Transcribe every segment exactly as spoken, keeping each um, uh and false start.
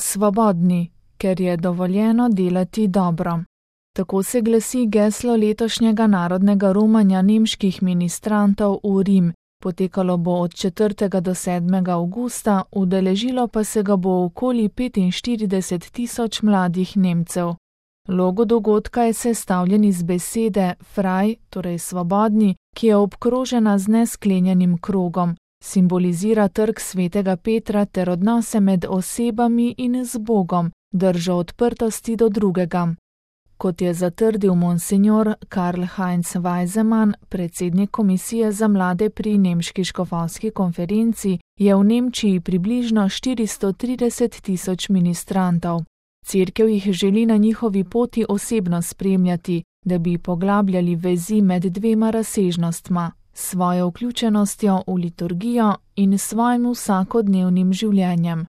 svobodni, ker je dovoljeno delati dobro. Tako se glasi geslo letošnjega narodnega romanja nemških ministrantov v Rim. Potekalo bo od četrtega do sedmega avgusta, udeležilo pa se ga bo okoli petinštirideset tisoč mladih Nemcev. Logo dogodka je sestavljen iz besede frei, torej svobodni, ki je obkrožena z nesklenjenim krogom. Simbolizira trg svetega Petra ter odnose med osebami in z Bogom, držo odprtosti do drugega. Kot je zatrdil monsinjor Karl Heinz Weisemann, predsednik komisije za mlade pri Nemški škofovski konferenci, je v Nemčiji približno štiristo trideset tisoč ministrantov. Cerkev jih želi na njihovi poti osebno spremljati, da bi poglabljali vezi med dvema razsežnostma, svojo vključenostjo v liturgijo in svojim vsakodnevnim življenjem.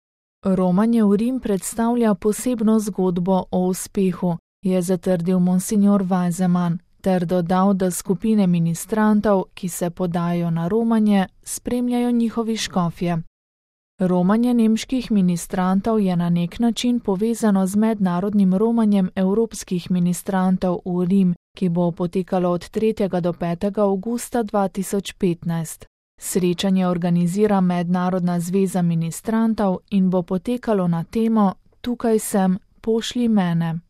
Romanje v Rim predstavlja posebno zgodbo o uspehu, je zatrdil monsinjor Weisemann, ter dodal, da skupine ministrantov, ki se podajo na romanje, spremljajo njihovi škofje. Romanje nemških ministrantov je na nek način povezano z mednarodnim romanjem evropskih ministrantov v Rim, ki bo potekalo od tretjega do petega avgusta dva tisoč petnajst. Srečanje organizira Mednarodna zveza ministrantov in bo potekalo na temo Tukaj sem, pošlji mene.